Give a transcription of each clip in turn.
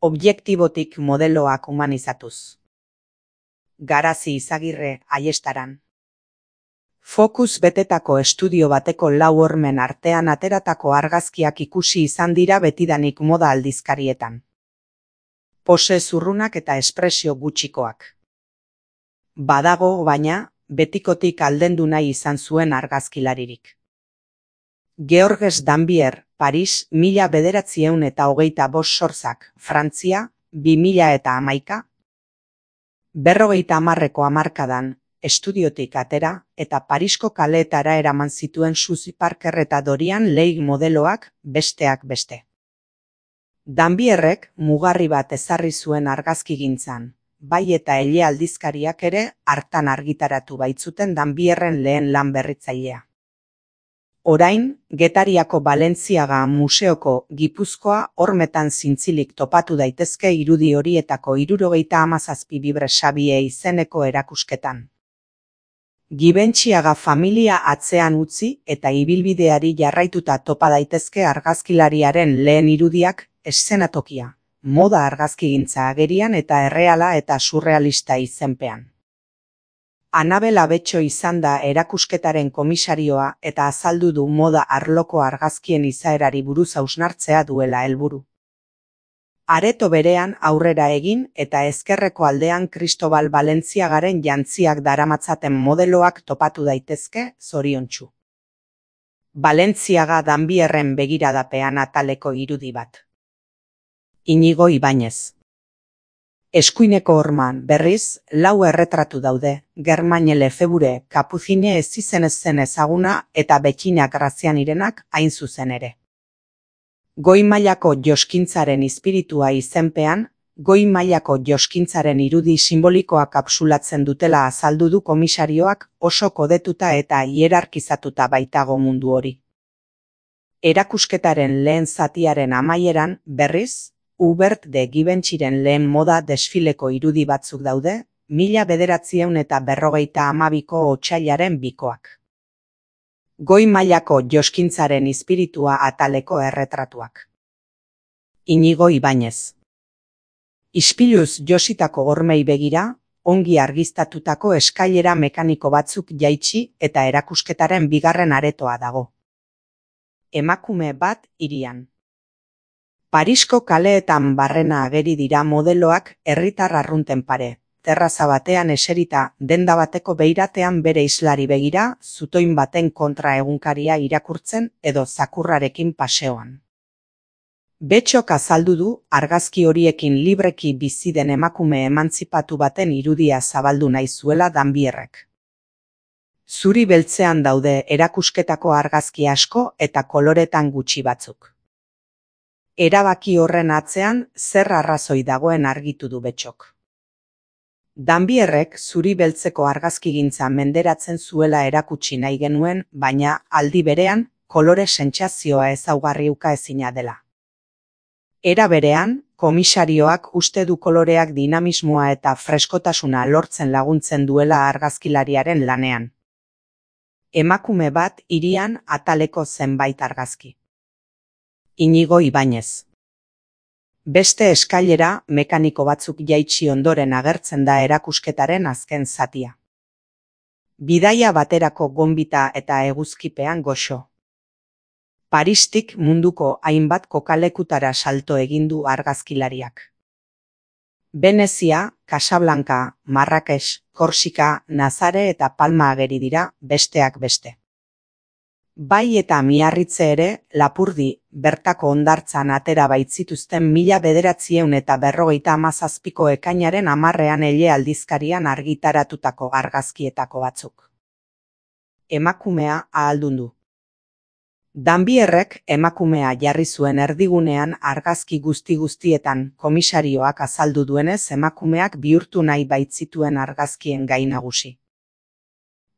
Objektibotik modeloak humanizatuz. Garazi Izagirre, Aiestaran. Fokus betetako estudio bateko 4 hormen artean ateratako argazkiak ikusi izan dira betidanik moda aldizkarietan. Pose zurrunak eta espresio gutxikoak. Badago, baina, betikotik aldendu nahi izan zuen argazkilaririk. Georges Dambier, Paris, 1925 sortzak, Frantzia, 2011. 50ko hamarkadan, estudiotik atera, eta Parisko kaleetara eraman zituen Suzy Parker eta Dorian Leigh modeloak, besteak beste. Dambierrek mugarri bat ezarri zuen argazkigintzan, bai eta Ele aldizkariak ere hartan argitaratu baitzuten Dambierren lehen lan berritzailea. Orain, Getariako Balentziaga Museoko Gipuzkoa hormetan zintzilik topatu daitezke irudi horietako 77 Bibre Xabie izeneko erakusketan. Gibentxiaga familia atzean utzi eta ibilbideari jarraituta topa daitezke argazkilariaren lehen irudiak, eszenatokia, moda argazkigintza agerian eta erreala eta surrealista izenpean. Anabel Abetxo izan da erakusketaren komisarioa eta azaldu du moda arloko argazkien izaerari buruz hausnartzea duela helburu. Areto berean aurrera egin eta ezkerreko aldean Cristobal Balentziagaren jantziak daramatzaten modeloak topatu daitezke, zoriontsu. Balentziaga Dambierren begiradapean ataleko irudi bat. Inigo Ibañez. Eskuineko horman, berriz, 4 erretratu daude, Germaine Lefebvre, Capucine ez izenez zen ezaguna eta Bettina Grazianirenak hain zuzen ere. Goi mailako joskintzaren espiritua izenpean, goi mailako joskintzaren irudi simbolikoa kapsulatzen dutela azaldu du komisarioak oso kodetuta eta hierarkizatuta baitago mundu hori. Erakusketaren lehen zatiaren amaieran, berriz, Hubert de Givenchyren lehen moda desfileko irudi batzuk daude, 1952ko otsailaren 2koak. Goi mailako joskintzaren espiritua ataleko erretratuak. Inigo Ibañez. Ispiluz jositako hormei begira, ongi argiztatutako eskailera mekaniko batzuk jaitsi eta erakusketaren 2. aretoa dago. Emakume bat hirian. Parisko kaleetan barrena ageri dira modeloak herritar arrunten pare, terraza batean eserita, denda bateko beiratean bere islari begira, zutoin baten kontra egunkaria irakurtzen edo zakurrarekin paseoan. Betxok azaldu du argazki horiekin libreki bizi den emakume emantzipatu baten irudia zabaldu nahi zuela Dambierrek. Zuri beltzean daude erakusketako argazki asko eta koloretan gutxi batzuk. Erabaki horren atzean zer arrazoi dagoen argitu du Betxok. Dambierrek zuri beltzeko argazkigintza menderatzen zuela erakutsi nahi genuen, baina aldi berean kolore sentsazioa ezaugarri ukaezina dela. Era berean, komisarioak uste du koloreak dinamismoa eta freskotasuna lortzen laguntzen duela argazkilariaren lanean. Emakume bat hirian ataleko zenbait argazki. Inigo Ibañez. Beste eskailera mekaniko batzuk jaitsi ondoren agertzen da erakusketaren azken zatia. Bidaia baterako gonbita eta eguzkipean goxo. Paristik munduko hainbat kokalekutara salto egin du argazkilariak. Venezia, Casablanca, Marrakech, Korsika, Nazare eta Palma ageri dira, besteak beste. Bai eta Miarritze ere, Lapurdi, bertako hondartzan atera baitzituzten 1957ko ekainaren 10ean Ele aldizkarian argitaratutako argazkietako batzuk. Emakumea ahaldundu. Dambierrek emakumea jarri zuen erdigunean argazki guztietan komisarioak azaldu duenez emakumeak bihurtu nahi baitzituen argazkien gai nagusi.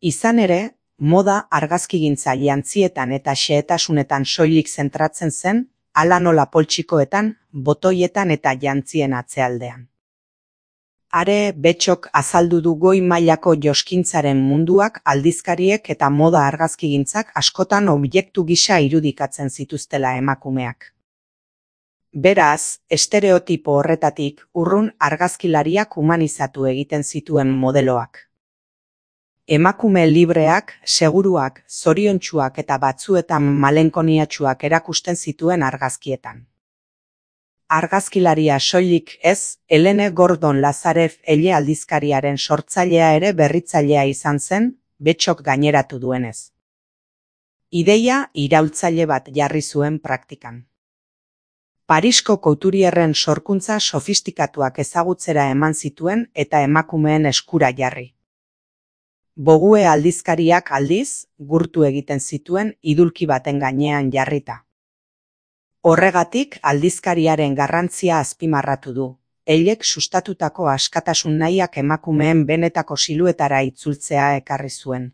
Izan ere, moda argazkigintza jantzietan eta xehetasunetan soilik zentratzen zen, hala nola poltsikoetan, botoietan eta jantzien atzealdean. Are Betxok azaldu du goi mailako joskintzaren munduak aldizkariek eta moda argazkigintzak askotan objektu gisa irudikatzen zituztela emakumeak. Beraz, estereotipo horretatik urrun argazkilariak humanizatu egiten zituen modeloak. Emakume libreak, seguruak, zoriontsuak eta batzuetan malenkoniatsuak erakusten zituen argazkietan. Argazkilaria soilik ez, Helene Gordon Lazarev ele aldizkariaren sortzailea ere berritzailea izan zen, Betxok gaineratu duenez. Ideia iraultzaile bat jarri zuen praktikan. Parisko couturierren sorkuntza sofistikatuak ezagutzera eman zituen eta emakumeen eskura jarri. Vogue aldizkariak aldiz, gurtu egiten zituen idulki baten gainean jarrita. Horregatik aldizkariaren garrantzia azpimarratu du, elek sustatutako askatasun nahiak emakumeen benetako siluetara itzultzea ekarri zuen.